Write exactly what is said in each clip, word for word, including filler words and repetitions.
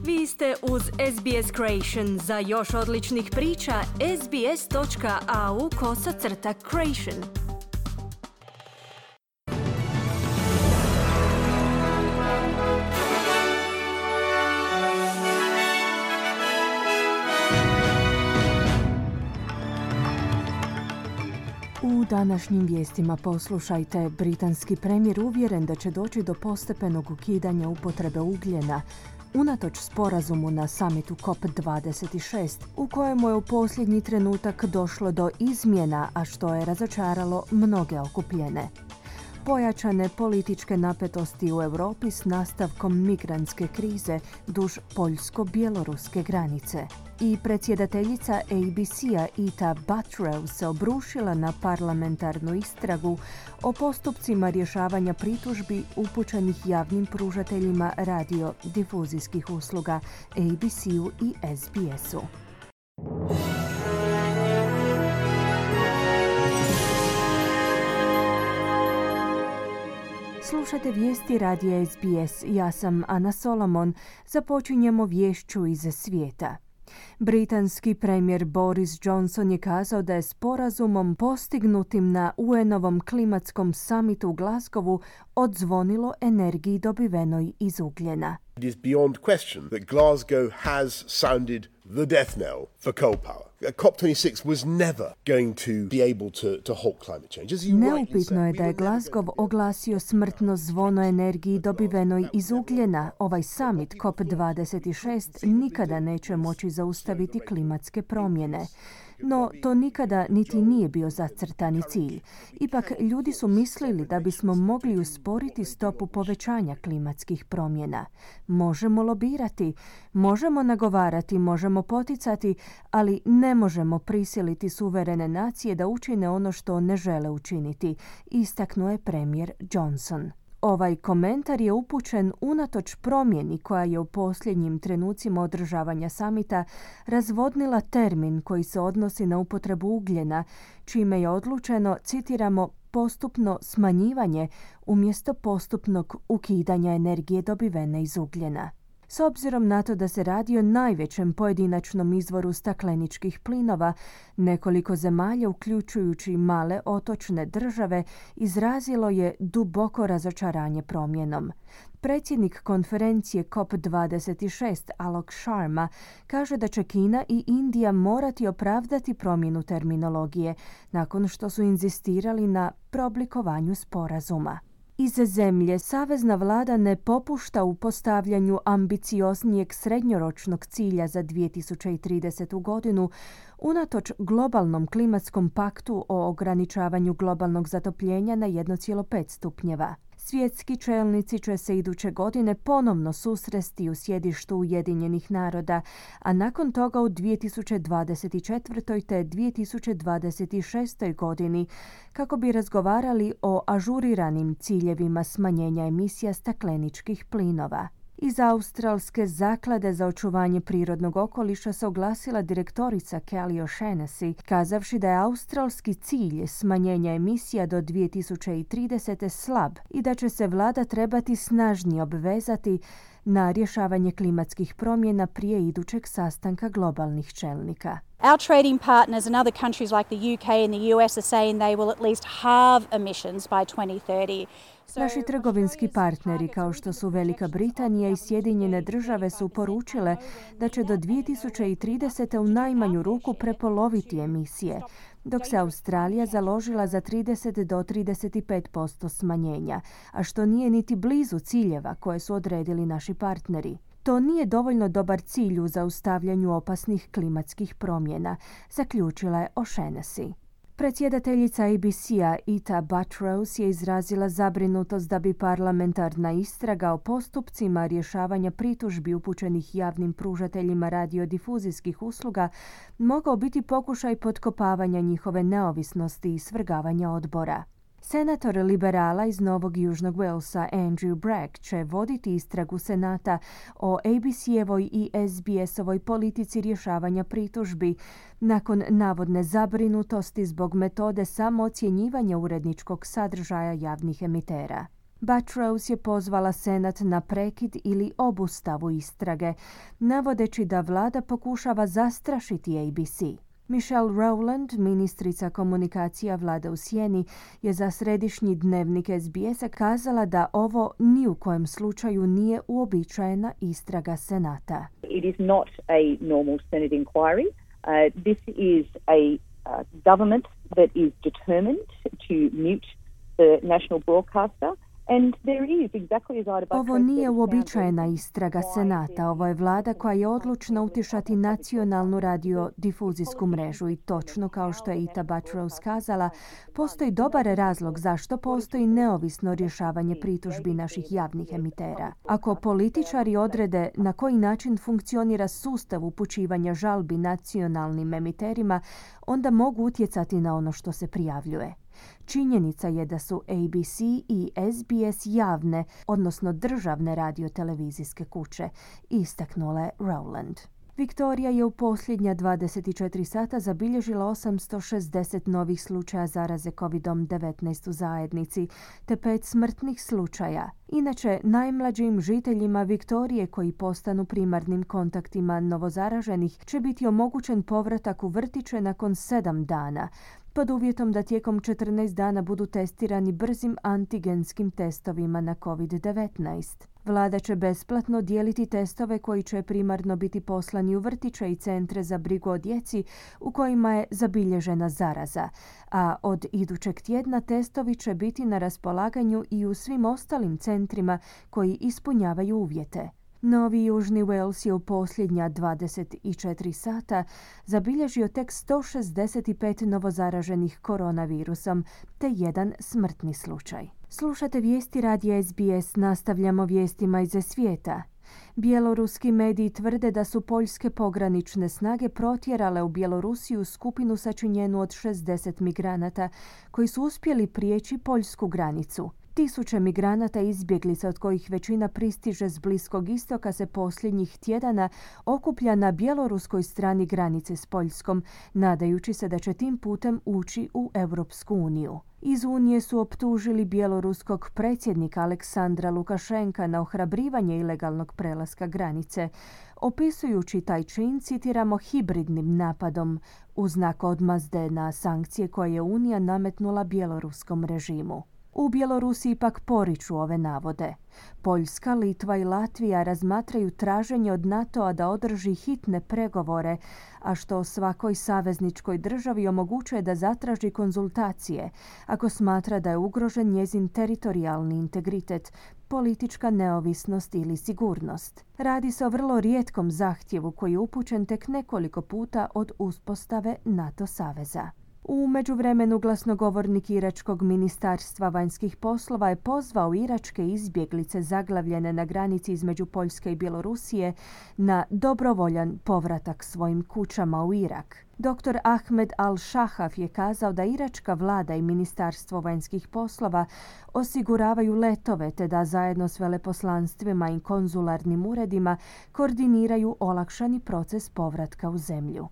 Vi ste uz S B S Creation. Za još odličnih priča, sbs.au kosacrta creation. U današnjim vijestima poslušajte, britanski premijer uvjeren da će doći do postepenog ukidanja upotrebe ugljena, unatoč sporazumu na samitu C O P dvadeset šest, u kojemu je u posljednji trenutak došlo do izmjena, a što je razočaralo mnoge okupljene. Pojačane političke napetosti u Europi s nastavkom migrantske krize duž poljsko-bjeloruske granice. I predsjedateljica A B C-a Ita Buttigieg se obrušila na parlamentarnu istragu o postupcima rješavanja pritužbi upućenih javnim pružateljima radio-difuzijskih usluga A B C-u i S B S-u. Slušate vijesti radija S B S. Ja sam Ana Solomon. Započinjemo viješću iz svijeta. Britanski premijer Boris Johnson je kazao da je sporazumom postignutim na U N-ovom klimatskom samitu u Glasgowu odzvonilo energiji dobivenoj iz ugljena. It is beyond question that Glasgow has sounded the death knell for coal power. C O P twenty-six was never going to be able to, to halt climate change. As you Neupitno je da je Glasgow oglasio smrtno zvono energiji dobivenoj iz ugljena. Ovaj summit C O P dvadeset šest nikada neće moći zaustaviti klimatske promjene. No, to nikada niti nije bio zacrtani cilj. Ipak, ljudi su mislili da bismo mogli usporiti stopu povećanja klimatskih promjena. Možemo lobirati, možemo nagovarati, možemo poticati, ali ne možemo prisiliti suverene nacije da učine ono što ne žele učiniti, istaknuo je premijer Johnson. Ovaj komentar je upućen unatoč promjeni koja je u posljednjim trenucima održavanja samita razvodnila termin koji se odnosi na upotrebu ugljena, čime je odlučeno, citiramo, postupno smanjivanje umjesto postupnog ukidanja energije dobivene iz ugljena. S obzirom na to da se radi o najvećem pojedinačnom izvoru stakleničkih plinova, nekoliko zemalja, uključujući male otočne države, izrazilo je duboko razočaranje promjenom. Predsjednik konferencije C O P dvadeset šest Alok Sharma kaže da će Kina i Indija morati opravdati promjenu terminologije nakon što su inzistirali na preoblikovanju sporazuma. Iz zemlje savezna vlada ne popušta u postavljanju ambicioznijeg srednjoročnog cilja za dvije tisuće tridesetu godinu, unatoč globalnom klimatskom paktu o ograničavanju globalnog zatopljenja na jedan zarez pet stupnjeva. Svjetski čelnici će se iduće godine ponovno susresti u sjedištu Ujedinjenih naroda, a nakon toga u dvije tisuće dvadeset četvrtoj te dvije tisuće dvadeset šestoj godini kako bi razgovarali o ažuriranim ciljevima smanjenja emisija stakleničkih plinova. Iz Australske zaklade za očuvanje prirodnog okoliša se oglasila direktorica Kelly O'Shaughnessy, kazavši da je australski cilj smanjenja emisija do dvije tisuće tridesete slab i da će se vlada trebati snažnije obvezati na rješavanje klimatskih promjena prije idućeg sastanka globalnih čelnika. Our trading partners and other countries like the U K and the U S are saying they will at least halve emissions by twenty thirty. Naši trgovinski partneri kao što su Velika Britanija i Sjedinjene države su poručile da će do dvije tisuće tridesete u najmanju ruku prepoloviti emisije, dok se Australija založila za trideset do trideset pet posto smanjenja, a što nije niti blizu ciljeva koje su odredili naši partneri. To nije dovoljno dobar cilj u zaustavljanju opasnih klimatskih promjena, zaključila je O'Shaughnessy. Predsjedateljica A B C-a Ita Buttigieg je izrazila zabrinutost da bi parlamentarna istraga o postupcima rješavanja pritužbi upućenih javnim pružateljima radiodifuzijskih usluga mogao biti pokušaj potkopavanja njihove neovisnosti i svrgavanja odbora. Senator liberala iz Novog Južnog Walesa Andrew Bragg će voditi istragu Senata o A B C-evoj i S B S-ovoj politici rješavanja pritužbi nakon navodne zabrinutosti zbog metode samoocjenjivanja uredničkog sadržaja javnih emitera. Buttrose je pozvala Senat na prekid ili obustavu istrage, navodeći da vlada pokušava zastrašiti A B C. Michelle Rowland, ministrica komunikacija vlade u sjeni, je za središnji dnevnik S B S-a kazala da ovo ni u kojem slučaju nije uobičajena istraga Senata. It is not a normal Senate inquiry. Uh, this is a uh, government that is determined to mute the national broadcaster. And there is, exactly as Ita Ovo nije uobičajena istraga Senata. Ovo je vlada koja je odlučna utišati nacionalnu radiodifuzijsku mrežu i točno kao što je Ita Buttrose kazala, postoji dobar razlog zašto postoji neovisno rješavanje pritužbi naših javnih emitera. Ako političari odrede na koji način funkcionira sustav upućivanja žalbi nacionalnim emiterima, onda mogu utjecati na ono što se prijavljuje. Činjenica je da su A B C i S B S javne, odnosno državne radiotelevizijske kuće, istaknula je Rowland. Viktorija je u posljednja dvadeset četiri sata zabilježila osamsto šezdeset novih slučaja zaraze kovid devetnaest u zajednici, te pet smrtnih slučaja. Inače, najmlađim žiteljima Viktorije koji postanu primarnim kontaktima novozaraženih će biti omogućen povratak u vrtiće nakon sedam dana, pod uvjetom da tijekom četrnaest dana budu testirani brzim antigenskim testovima na kovid devetnaest. Vlada će besplatno dijeliti testove koji će primarno biti poslani u vrtiće i centre za brigu o djeci u kojima je zabilježena zaraza, a od idućeg tjedna testovi će biti na raspolaganju i u svim ostalim centrima koji ispunjavaju uvjete. Novi Južni Wales je u posljednja dvadeset četiri sata zabilježio tek sto šezdeset pet novozaraženih koronavirusom te jedan smrtni slučaj. Slušate vijesti radija S B S, nastavljamo vijestima iz svijeta. Bjeloruski mediji tvrde da su poljske pogranične snage protjerale u Bjelorusiju skupinu sačinjenu od šezdeset migranata koji su uspjeli prijeći poljsku granicu. Tisuće migranata i izbjeglica, od kojih većina pristiže s Bliskog istoka, se posljednjih tjedana okuplja na bjeloruskoj strani granice s Poljskom, nadajući se da će tim putem ući u Europsku uniju. Iz Unije su optužili bjeloruskog predsjednika Aleksandra Lukašenka na ohrabrivanje ilegalnog prelaska granice, opisujući taj čin, citiramo, hibridnim napadom u znak odmazde na sankcije koje je Unija nametnula bjeloruskom režimu. U Bjelorusiji pak poriču ove navode. Poljska, Litva i Latvija razmatraju traženje od NATO-a da održi hitne pregovore, a što svakoj savezničkoj državi omogućuje da zatraži konzultacije ako smatra da je ugrožen njezin teritorijalni integritet, politička neovisnost ili sigurnost. Radi se o vrlo rijetkom zahtjevu koji je upućen tek nekoliko puta od uspostave NATO saveza. U međuvremenu glasnogovornik Iračkog ministarstva vanjskih poslova je pozvao iračke izbjeglice zaglavljene na granici između Poljske i Bjelorusije na dobrovoljan povratak svojim kućama u Irak. Doktor Ahmed Al-Shahaf je kazao da iračka vlada i ministarstvo vanjskih poslova osiguravaju letove te da zajedno s veleposlanstvima i konzularnim uredima koordiniraju olakšani proces povratka u zemlju.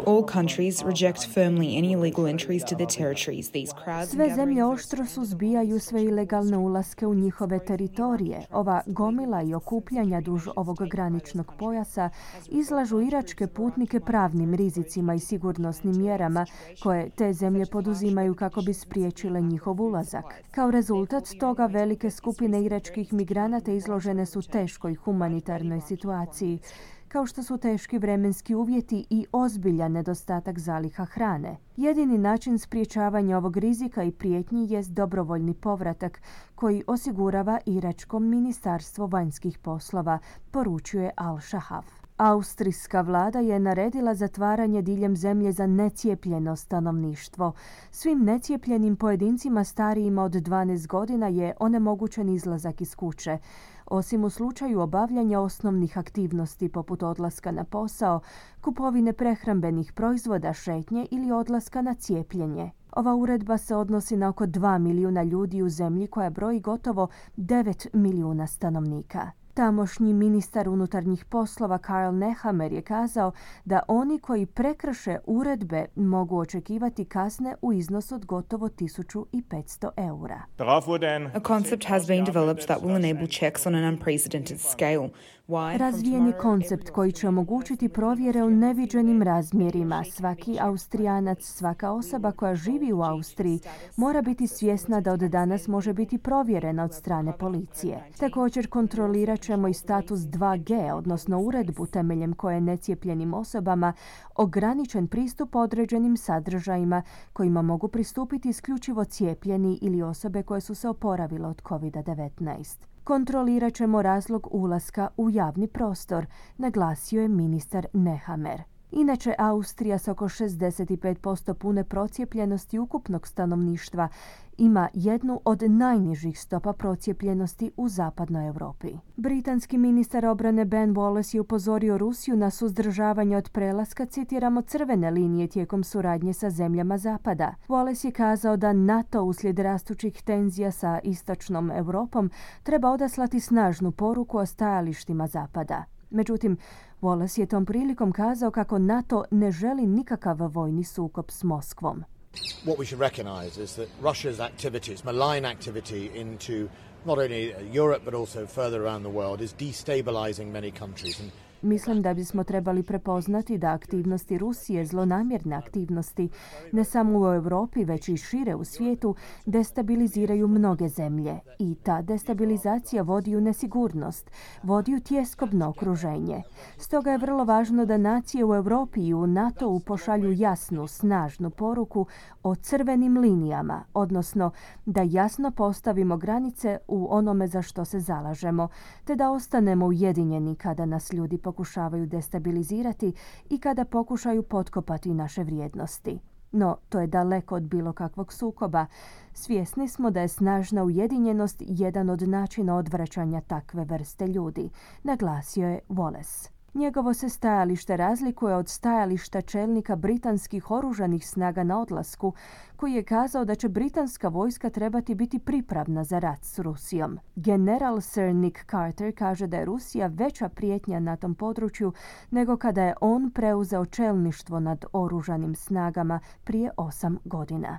All countries reject firmly any illegal entries to their territories. These crowds Sve zemlje oštro suzbijaju sve ilegalne ulaske u njihove teritorije. Ova gomila i okupljanja duž ovog graničnog pojasa izlažu iračke putnike pravnim rizicima i sigurnosnim mjerama koje te zemlje poduzimaju kako bi spriječile njihov ulazak. Kao rezultat toga velike skupine iračkih migranata izložene su teškoj humanitarnoj situaciji, kao što su teški vremenski uvjeti i ozbiljan nedostatak zaliha hrane. Jedini način spriječavanja ovog rizika i prijetnji jest dobrovoljni povratak koji osigurava Iračko ministarstvo vanjskih poslova, poručuje Al-Shahaf. Austrijska vlada je naredila zatvaranje diljem zemlje za necijepljeno stanovništvo. Svim necijepljenim pojedincima starijima od dvanaest godina je onemogućen izlazak iz kuće, osim u slučaju obavljanja osnovnih aktivnosti poput odlaska na posao, kupovine prehrambenih proizvoda, šetnje ili odlaska na cijepljenje. Ova uredba se odnosi na oko dva milijuna ljudi u zemlji koja broji gotovo devet milijuna stanovnika. Tamošnji ministar unutarnjih poslova Karl Nehammer je kazao da oni koji prekrše uredbe mogu očekivati kazne u iznosu od gotovo tisuću petsto eura. A concept has been developed that will enable checks on an unprecedented scale. Razvijen je koncept koji će omogućiti provjere u neviđenim razmjerima. Svaki Austrijanac, svaka osoba koja živi u Austriji mora biti svjesna da od danas može biti provjerena od strane policije. Također kontrolirat ćemo i status dva G, odnosno uredbu temeljem koje je necijepljenim osobama ograničen pristup određenim sadržajima kojima mogu pristupiti isključivo cijepljeni ili osobe koje su se oporavile od kovid devetnaest. Kontrolirat ćemo razlog ulaska u javni prostor, naglasio je ministar Nehammer. Inače, Austrija s oko šezdeset pet posto pune procijepljenosti ukupnog stanovništva ima jednu od najnižih stopa procijepljenosti u zapadnoj Europi. Britanski ministar obrane Ben Wallace je upozorio Rusiju na suzdržavanje od prelaska, citiramo, crvene linije tijekom suradnje sa zemljama Zapada. Wallace je kazao da NATO uslijed rastućih tenzija sa istočnom Europom treba odaslati snažnu poruku o stajalištima Zapada. Međutim, Wallace je tom prilikom kazao kako NATO ne želi nikakav vojni sukob s Moskvom. What we should recognize is that Russia's activities, malign activity into not only Europe but also further around the world is destabilizing many countries. And Mislim da bismo trebali prepoznati da aktivnosti Rusije, zlonamjerne aktivnosti, ne samo u Europi, već i šire u svijetu, destabiliziraju mnoge zemlje. I ta destabilizacija vodi u nesigurnost, vodi u tjeskobno okruženje. Stoga je vrlo važno da nacije u Europi i u NATO-u pošalju jasnu, snažnu poruku o crvenim linijama, odnosno da jasno postavimo granice u onome za što se zalažemo, te da ostanemo ujedinjeni kada nas ljudi pokušavaju destabilizirati i kada pokušaju potkopati naše vrijednosti. No, to je daleko od bilo kakvog sukoba. Svjesni smo da je snažna ujedinjenost jedan od načina odvraćanja takve vrste ljudi, naglasio je Wallace. Njegovo se stajalište razlikuje od stajališta čelnika britanskih oružanih snaga na odlasku, koji je kazao da će britanska vojska trebati biti pripravna za rat s Rusijom. General Sir Nick Carter kaže da je Rusija veća prijetnja na tom području nego kada je on preuzeo čelništvo nad oružanim snagama prije osam godina.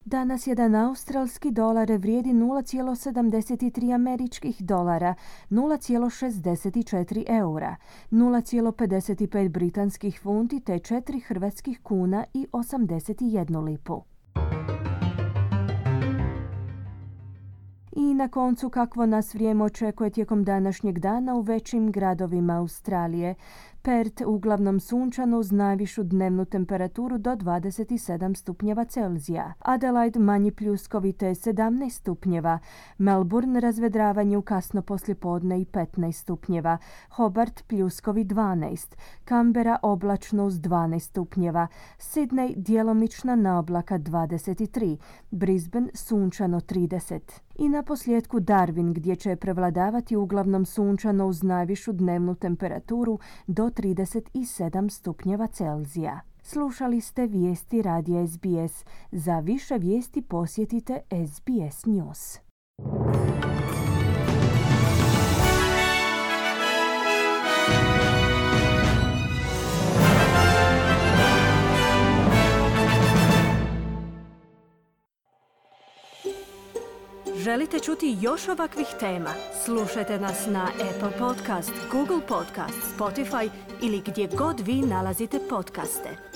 Danas jedan australski dolar vrijedi nula zarez sedamdeset tri američkih dolara, nula zarez šezdeset četiri eura, nula zarez pedeset pet britanskih funti te četiri hrvatskih kuna i osamdeset jednu lipu. I na koncu, kakvo nas vrijeme očekuje tijekom današnjeg dana u većim gradovima Australije. Perth uglavnom sunčano uz najvišu dnevnu temperaturu do dvadeset sedam stupnjeva Celzija. Adelaide manji pljuskovi te sedamnaest stupnjeva. Melbourne razvedravanje u kasno poslijepodne i petnaest stupnjeva. Hobart pljuskovi dvanaest. Canberra oblačno uz dvanaest stupnjeva. Sydney djelomična naoblaka dvadeset tri. Brisbane sunčano trideset. I na posljedku Darwin gdje će prevladavati uglavnom sunčano uz najvišu dnevnu temperaturu do trideset sedam stupnjeva Celzija. Slušali ste vijesti radija S B S. Za više vijesti posjetite S B S News. Želite čuti još ovakvih tema? Slušajte nas na Apple Podcast, Google Podcast, Spotify ili gdje god vi nalazite podcaste.